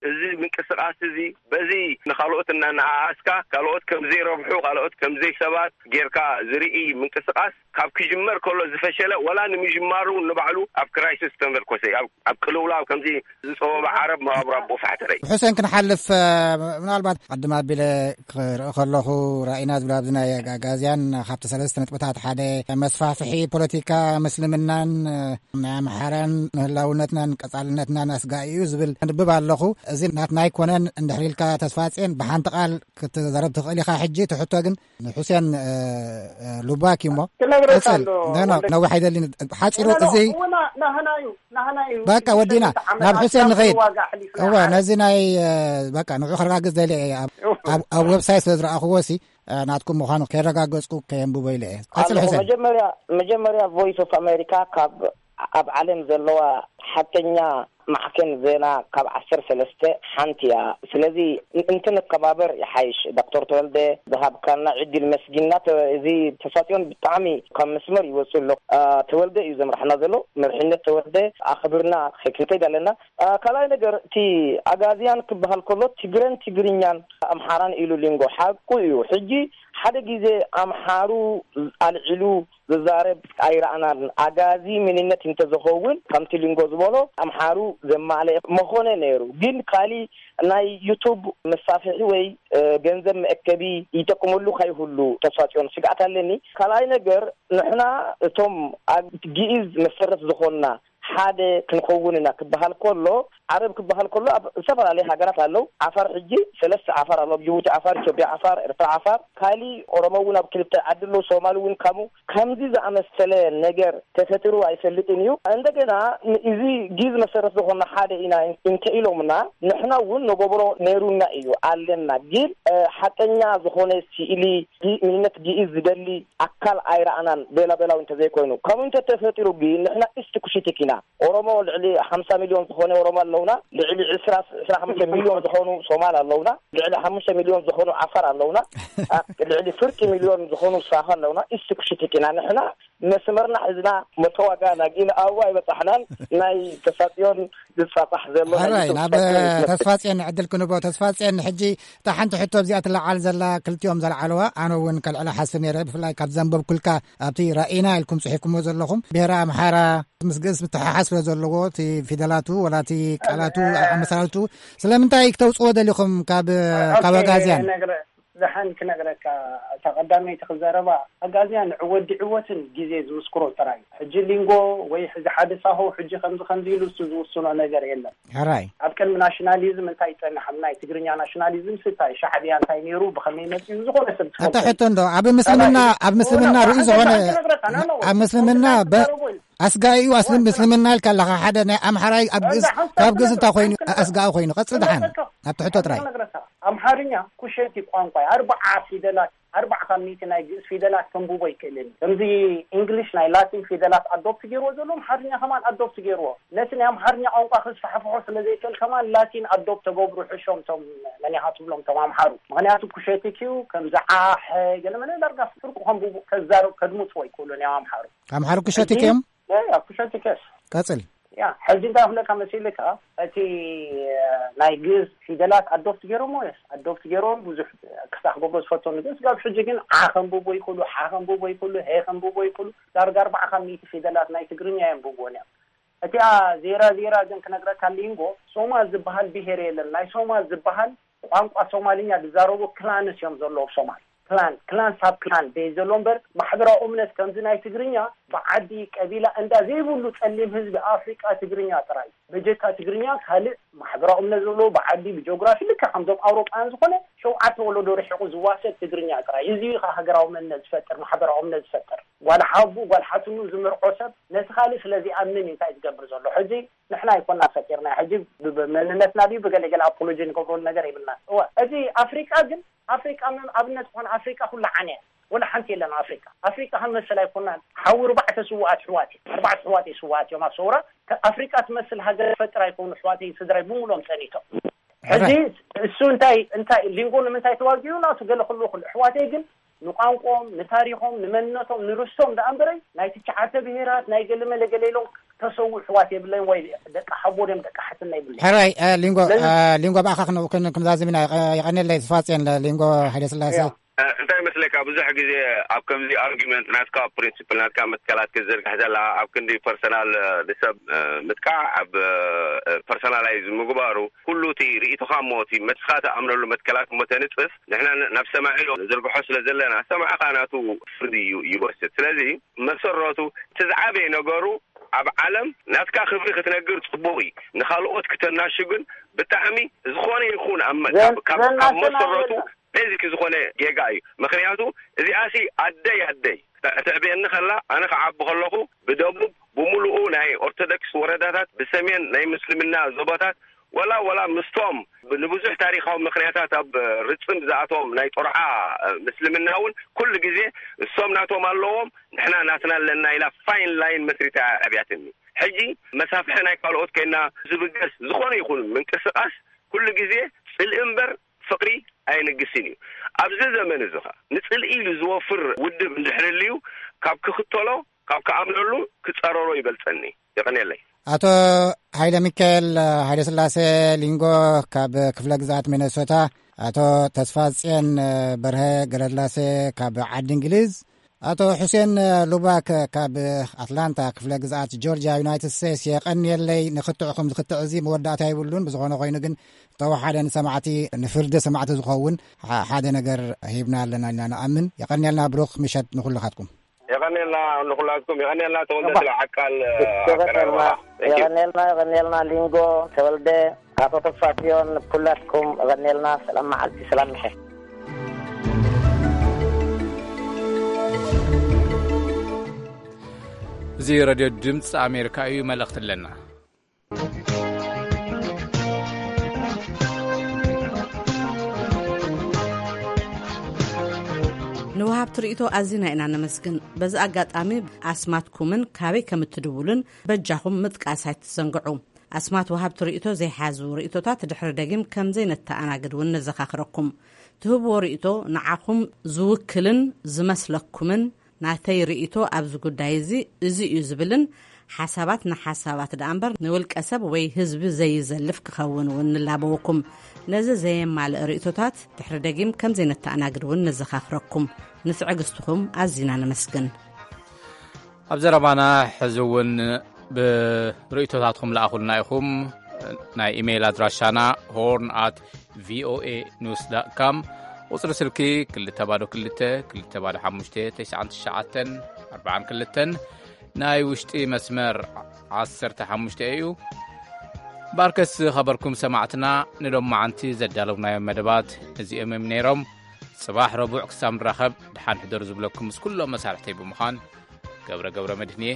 እዚ ምንቅስቃስ እዚ በዚ ንኻልኦት እናነኣኣስካ ካልኦት ከም ዘይረብሑ ካልኦት ከም ዘይሰባት ጌርካ ዝርኢ ምንቅስቃስ ካብ ክጅመር ከሎ ዝፈሸለ ወላ ንምጅማሩ ንባዕሉ ኣብ ክራይሲስ ተመርኮሰ ኣብ ኣብ ቅልውላው ከምዚ ዝጸወበ ዓረብ መቓብር ኣቦ ፋሕተረይ። ብሑሴን ክንሓልፍ፣ እ፣ ምናልባት ቅድም ኣቢለ ክርኢ ከለኹ ራኢና ዝብል ኣብዚ ናይ ኣጋዝያን ካብቲ ሰለስተ ነጥብታት ሓደ መስፋፍሒ ፖለቲካ ምስልምናን፣ እ፣ ናይ ኣምሓራን ንህላውነትናን ቀጻልነትናን ኣስጋኢ እዩ ዝብል ኣንብብ ኣለኹ። እዚ ናትና ኣይኮነን እንድሕር ኢልካ ተስፋጽዮን ብሓንቲ ቃል ክትዛረብ ትኽእል ኢኻ። ሕጂ እቲ ሕቶ ግን ንሑሴን፣ እ፣ እ፣ ሉባክ እዩ እሞ። ክነግረካ ቀጽል። ኣሎ፣ ኖ፣ ኖ፣ ወልደ። ነዊሕ ኣይደልን። ሓጺሩ ኖ፣ ኖ፣ እዚ እወ፣ ና-፣ ናህና እዩ፣ ናህና እዩ። በቃ ወዲና። ዓመታት ናብ ሑሴን ካብ ንኸይድ። ዋጋ ኣሕሊፍና እወ፣ ዓረብ። ነዚ ናይ፣ እ፣ በቃ ንዑ ከረጋግጽ ደልየ እየ። ኣብ፣ እወ። ኣብ፣ ኣብ ዌብሳይት ስለ ዝረኣኽዎ ሲ፣ እ፣ ናትኩም ምዃኑ ከየረጋገጽኩ ከየንብቦ ኢለ እየ። ቀጽል ኣለኹ። ሑሴን። መጀመርያ፣ መጀመርያ ቮይስ ኦፍ ኣሜሪካ ካብ ኣብ ዓለም ዘለዋ ሓቀኛ ማዕከን ዜና ካብ ዓሰርተ ሰለስተ ሓንቲ እያ። ስለዚ ን-፣ እንትንከባበር ይሓይሽ። ዶክተር ተወልደ ዝሃብካና ዕድል መስጊንና። ተ-፣ እዚ ተሳትዮን ብጣዕሚ ካብ መስመር ይወፅእ ኣሎ። አ፣ ተወልደ እዩ ዘምርሓና ዘሎ። መሪሕነት ተወልደ ኣኽብርና ክንከይድ ኣለና። አ፣ ካልኣይ ነገር እቲ ኣጋዝያን ክበሃል ከሎ ትግረን ትግርኛን ኣምሓራን ኢሉ ሊንጎ ሓቁ እዩ። ሕጂ ሓደ ግዜ ኣምሓሩ ኣልዒሉ ዝዛረብ ኣይረኣናን። ኣጋዚ ምንነት እንተዝኸውን ከምቲ ሊንጎ ዝበሎ ኣምሓሩ ዘማልአ መኾነ ነይሩ። ግን ካሊ ናይ ዩቱብ መሳፍሒ ወይ፣ እ፣ ገንዘብ መእከቢ ይጠቅመሉ ከይህሉ ተስፋጽዮን ስግኣት ኣለኒ። ካልኣይ ነገር ንሕና እቶም ኣብ ግእዝ መሰረት ዝኾንና ሓደ ክንኸውን ኢና ክበሃል ከሎ፣ ዓረብ ክበሃል ከሎ ኣብ ዝተፈላለዩ ሃገራት ኣለዉ። ዓፋር ሕጂ ሰለስተ ዓፋር ኣለዉ። ኣብ ጅቡቲ ዓፋር፣ ኢትዮጵያ ዓፋር፣ ኤርትራ ዓፋር፣ ካሊ ኦሮሞ እውን ኣብ ክልተ ዓዲ ኣለዉ። ሶማሊ እውን ከምኡ። ከምዚ ዝኣመሰለ ነገር ተፈጢሩ ኣይፈልጥን እዩ። እንደገና ን-፣ እዚ ግእዝ መሰረት ዝኾንና ሓደ ኢና እንተ ኢሎምና፣ ንሕና እውን ንገብሮ ነይሩና እዩ፣ ኣለና። ግን፣ እ፣ ሓቀኛ ዝኾነ ስእሊ ግ-፣ መንነት ግእዝ ዝደሊ ኣካል ኣይረኣናን፣ ቤላ ቤላዊ እንተዘይኮይኑ። ከምኡ እንተተፈጢሩ ግን ንሕና ኢስት ኩሽቲክ ኢና። ኦሮሞ ልዕሊ ሓምሳ ሚልዮን ዝኾነ ኦሮሞ ኣለውና፣ ልዕሊ ዕስራ፣ ዕስራ ሓሙሽተ ሚልዮን ዝኾኑ ሶማል ኣለውና፣ ልዕሊ ሓሙሽተ ሚልዮን ዝኾኑ ዓፋር ኣለውና፣ ኣ፣ ልዕሊ ፍርቂ ሚልዮን ዝኾኑ ሳሆ ኣለውና። ኢስት ኩሽቲክ ኢና ንሕና። መስመርና ሒዝና መተዋጋና፣ ግን ኣብኡ ኣይበጻሕናን። ናይ ተሳጽዮን ዝጻጻሕ ዘሎ ናይ ሕራይ፣ ናብ ተሳጽዮን ይመስል። ተስፋጽዮን ዕድል ክንቦ። ተስፋጽዮን፣ ሕጂ እታ ሓንቲ ሕቶ ኣብዚኣ ትለዓል ዘላ፣ ክልቲኦም ዘልዓልዋ፣ ኣነ እውን ከልዕላ ሓስብ ነይረ፣ ብፍላይ ካብ ዘንበብኩልካ ኣብቲ ራኢና ኢልኩም ጽሒፍኩሞ ዘለኹም፣ ብሔረ ኣምሓራ ምስ ግእዝ ምትሓሓዝ ስለ ዘለዎ፣ እቲ ፊደላቱ ወላ እቲ ቃላቱ ኣመሰራርቱ ስለምንታይ ክተውጽዎ ደሊኹም ካብ፣ ካብ ኣጋዝያን? ክነግረ-፣ ደሓን ክነግረካ፣ እታ ቀዳመይቲ ክዘረባ፣ ኣጋዝያን ወዲዕዎትን ግዜ ዝምስክሮ ጥራይ። ሕጂ ሊንጎ ወይ ሕዚ ሓደ ሳሆ ሕጂ ከምዚ ከምዚ ኢሉ እሱ ዝውስኖ ነገር የለን። ሕራይ። ኣብ ቅድሚ ናሽናሊዝም እንታይ ይጸንሕ? ኣብ ናይ ትግርኛ ናሽናሊዝም ስታይ ሻዕብያ እንታይ ነይሩ፣ ብኸመይ መጺኡ፣ ዝኾነ ሰብ እታ ትፈልጦ። ሕቶ እንዶ፣ ኣብ ምስልምና፣ ሕራይ። ኣብ ምስልምና ኦ፣ ርኡይ ዝኾነ፣ ሓንቲ ክነግረካ፣ ና፣ ና፣ ኣብ ምስልምና ሓንቲ በ-፣ ክዛረቦ ኢሉ። ኣስጋኢ እዩ፣ ኣስልም-፣ ምስልምና ኢልካ ኣለኻ። ሓደ ናይ ኣምሓራይ ኣብ ግእዝ፣ ኣምሓራይ ካብ ግእዝ እንታይ ኮይኑ፣ ኣስጋኢ ኮይኑ። ቀጽል ደሓን። ክነግረካ። ኣብቲ ሕቶ ጥራይ። ክነግረካ። ኣምሓርኛ ኩሸቲ ቋንቋ እዩ። ኣርባዓ ፊደላት፣ ኣርባዓ ካብ ሚእቲ ናይ ግእዝ ፊደላት ከንብቦ ይክእልን። ከምዚ እንግሊሽ ናይ ላቲን ፊደላት ኣዶፕት ገይርዎ ዘሎ፣ ኣምሓርኛ ከማን ኣዶፕት ገይርዎ። ነቲ ናይ ኣምሓርኛ ቋንቋ ክስፋሕፍሖ ስለ ዘይክእል ከማን ላቲን ኣዶፕት ተገብሩ ሕሾም፣ ቶም መን ኢኻ ትብሎም፣ ቶም ኣምሓሩ። ምኽንያቱ ኩሸቲ ክዩ፣ ከምዚ ዓሐ፣ ገለ መለ ዳርጋ ፍርቁ ከንብቡ፣ ከዛረብ፣ ከድምፅዎ ይክእሉ እዮም ኣምሓሩ። ኣምሓሩ ኩሸቲ ሕጂ ክዮም? ያ፣ ያ፣ ኩሸቲ ከስ። ቀጽል። ያ፣ ሕጂ እንታይ ክብለካ መሲልካ፣ እቲ፣ እ፣ ናይ ግእዝ ፊደላት ኣዶፕት ገይሮሞ፣ የስ፣ ኣዶፕት ገይሮም ብዙሕ ክሳዕ ክገብሮ ዝፈተኑ፣ ግን ስጋብ ሕጂ ግን ዓ ከንብቦ ይኽእሉ፣ ሓ ከንብቦ ይኽእሉ፣ ሄ ከንብቦ ይኽእሉ፣ ዳርጋ ኣርባዓ ካብ ሚእቲ ፊደላት ናይ ትግርኛ የንብብዎን እዮም። እቲኣ ዜራ ዜራ ግን ክነግረካ ሊንጎ፣ ሶማል ዝበሃል ብሄር የለን። ናይ ሶማል ዝበሃል ቋንቋ ሶማልኛ ዝዛረቡ ክላንስ እዮም ዘለዉ ኣብ ሶማል። ክላን፣ ክላን ሳብ ክላን ደይ ዘሎ እምበር፣ ማሕበራዊ እምነት ከምዚ ናይ ትግርኛ ብዓዲ፣ ቀቢላ፣ እንዳ ዘይብሉ ጸሊም ህዝቢ ኣፍሪቃ ትግርኛ ጥራይ። በጀካ ትግርኛ ካልእ ማሕበራዊ እምነት ዘለዎ ብዓዲ፣ ብጂኦግራፊ ልክዕ ከምዞም ኣውሮጳውያን ዝኾነ ሸውዓተ ወለዶ ርሒቑ ዝዋሰድ ትግርኛ ጥራይ። እዚ እዩ ከኣ ሃገራዊ መንነት ዝፈጥር፣ ማሕበራዊ እምነት ዝፈጥር። ጓል ሓቡ፣ ጓል ሓትኑ ዝምርዖ ሰብ ነቲ ካልእ ስለ ዝኣምን እዩ እንታይ ዝገብር ዘሎ። ሕጂ ንሕና ኣይኮና ፈጢርና። ሕጂ ብ-፣ ብ-፣ መንነትና ድዩ ብገለ ገለ ኣፖሎጂ ንገብረሉ ነገር የብልና። እወ፣ እዚ ኣፍሪቃ ግን፣ ኣፍሪቃ ምን ኣብነት ዝኾነ ኣፍሪቃ ኩላ ዓንያ። ወላ ሓንቲ የለን ኣፍሪቃ። ኣፍሪቃ ክንመስል ኣይኮናን። ሓዊ ኣርባዕተ ስውኣት ኣሕዋት እዮም። ኣርባዕተ ኣሕዋት እዮም ስውኣት እዮም ኣብ ሰውራ። ከ-፣ ኣፍሪቃ ትመስል ሃገር ፈጥር ኣይኮኑ ኣሕዋተይ ስድራይ ብምሎም ጸኒቶም። ሕጂ ሕራይ። እሱ እንታይ፣ እንታይ ሊንጎ ንምንታይ ተዋጊኡ ናቱ ገለ ክሉ ክሉ ኣሕዋተይ ግን ንቋንቋኦም፣ ንታሪኾም፣ ንመንነቶም፣ ንርስቶም ደኣ እምበረይ ናይ ትሽዓተ ብሄራት ናይ ገለ መለ ገለ ኢሎም ተሰዉ ኣሕዋት የብለይን ወይ ደቂ ሓቦ ድዮም ደቂ ሓትና የብለይን። ሕራይ፣ እ፣ ሊንጎ፣ ስለዚ እ፣ ሊንጎ ብኣኻ ክን-፣ ክን-፣ ክንዛዝም ኢና። የቐ-፣ የቐንየለይ ተስፋጽዮን ለ-፣ ሊንጎ ሃይለ ስላሴ። ያ። እ፣ እንታይ ይመስለካ፣ ብዙሕ ግዜ ኣብ ከምዚ ኣርጊመንት ናትካ ፕሪንሲፕል ናትካ መትከላት ክትዝርግሕ ዘላ ኣብ ክንዲ ፐርሰናል፣ እ፣ ንሰብ፣ እ፣ ምጥቃዕ ኣብ፣ እ፣ ፐርሰናላይዝ ምግባሩ ኩሉ እቲ ርእይቶኻ እሞ እቲ መትስኻ ትኣምነሉ መትከላት እሞ ተንጽፍ፣ ንሕና ን-፣ ናብ ሰማዒ ዶ ንዝርግሖ ስለ ዘለና፣ ሰማዕኻ ናቱ ፍርዲ እዩ ይወስድ። ስለዚ መሰረቱ እቲ ዝዓበየ ነገሩ ኣብ ዓለም ናትካ ክብሪ ክትነግር ጽቡቕ እዩ። ንኻልኦት ክተናሹ ግን ብጣዕሚ ዝኾነ ይኹን ኣብ መ-፣ ዘን-፣ ካብ፣ ካብ ዘናሽና መሰረቱ የለን። ቤዚክ ዝኾነ ጌጋ እዩ። ምኽንያቱ እዚኣሲ ኣደይ ኣደይ ተዕብየኒ ከላ፣ ኣነ ክዓቢ ከለኹ ብደቡብ ብምሉኡ ናይ ኦርቶዶክስ ወረዳታት፣ ብሰሜን ናይ ምስልምና ዞባታት፣ ወላ፣ ወላ ምስቶም ብ-፣ ንብዙሕ ታሪኻዊ ምኽንያታት ኣብ ርጽም ዝኣቶም ናይ ጦርዓ ምስልምና እውን ኩሉ ግዜ እሶም ናቶም ኣለዎም፣ ንሕና ናትና ኣለና ኢላ ፋይን ላይን መስሪታ ዕብያትኒ። ሕጂ መሳፍሒ ናይ ካልኦት ኮይና ዝብገስ ዝኾነ ይኹን ምንቅስቃስ ኩሉ ግዜ ጽልኢ እምበር ፍቕሪ ኣይንግስን እዩ። ኣብዚ ዘመን እዚ ኸኣ ንጽልኢ ኢሉ ዝወፍር ውድብ እንድሕር ህልዩ፣ ካብ ክኽተሎ፣ ካብ ክኣምነሉ ክጸረሮ ይበልጸኒ። የቐንየለይ። ኣቶ ሃይለ ሚካኤል ሃይለ ስላሴ ሊንጎ ካብ ክፍለ ግዝኣት ሚነሶታ፣ ኣቶ ተስፋጽዮን በርሀ ገረድላሴ ካብ ዓዲ እንግሊዝ፣ ኣቶ ሑሴን ሉባክ ካብ ኣትላንታ ክፍለ ግዝኣት ጆርጅያ ዩናይትድ ስቴትስ፣ የቐንየለይ። ንክትዕኹም ዝክትዕ እዚ መወዳእታ ይብሉን። ብዝኾነ ኮይኑ ግን፣ ተወሓደ ንሰማዕቲ፣ ንፍርዲ ሰማዕቲ ዝኸውን ሓ-፣ ሓደ ነገር ሂብና ኣለና ኢልና ንኣምን። የቐንየልና፣ ብሩኽ ምሸት ንኹልኻትኩም። የቐንየልና ንኹላትኩም፣ የቐንየልና ተወልደ እባ። ስለ ዓቃል፣ እ፣ የቐንየልና፣ ኣቀራርባ። Thank you። የቐንየልና፣ የቐንየልና ሊንጎ ተወልደ፣ ኣቶ ተስፋጽዮን፣ ኩላትኩም የቐንየልና። ሰላም መዓልቲ፣ ሰላም ምሸት። እዚ ሬድዮ ድምፂ ኣሜሪካ እዩ። መልእኽቲ ኣለና። ንወሃብቲ ርእይቶ ኣዚና ኢና ነመስግን። በዚ ኣጋጣሚ ኣስማትኩምን ካበይ ከም እትድውሉን በጃኹም ምጥቃስ ኣይትዘንግዑ። ኣስማት ወሃብቲ ርእይቶ ዘይሓዙ ርእይቶታት ድሕሪ ደጊም ከም ዘይነተኣናግድ እውን ነዘኻኽረኩም። ትህብዎ ርእይቶ ንዓኹም ዝውክልን ዝመስለኩምን ናተይ ርእይቶ ኣብዚ ጉዳይ እዚ እዚ እዩ ዝብልን ሓሳባት ንሓሳባት ደኣ እምበር ንውልቀ ሰብ ወይ ህዝቢ ዘይዘልፍ ክኸውን እውን ንላበወኩም። ነዚ ዘየማልእ ርእይቶታት ድሕሪ ደጊም ከም ዘይነተኣናግድ እውን ነዘኻኽረኩም። ንትዕግስትኹም ኣዚና ነመስግን። ኣብ ዘረባና ሕዚ እውን ብርእይቶታትኩም ለኣኹልና ኢኹም። ናይ ኢሜይል ኣድራሻና ሆርን ኣት ቪኦኤ ኒውስ ዳት ካም፣ ቁጽሪ ስልኪ ክልተ ባዶ ክልተ፣ ክልተ ባዶ ሓሙሽተ፣ ተስዓን ትሽዓተን፣ ኣርባዓን ክልተን፣ ናይ ውሽጢ መስመር ዓሰርተ ሓሙሽተ እዩ። ባርከስ ኸበርኩም ሰማዕትና፣ ንሎማዓንቲ ዘዳለውናዮም መደባት እዚኦም እዮም ነይሮም። ጽባሕ ረቡዕ ክሳብ ንራኸብ፣ ድሓን ሕደሩ ዝብለኩም ምስ ኩሎም መሳርሕተይ ብምዃን ገብረ ገብረ መድህን እየ።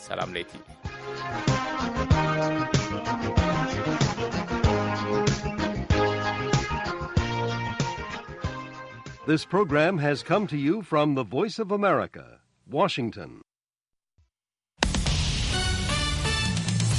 ሰላም ለይቲ። This program has come to you from the Voice of America, Washington.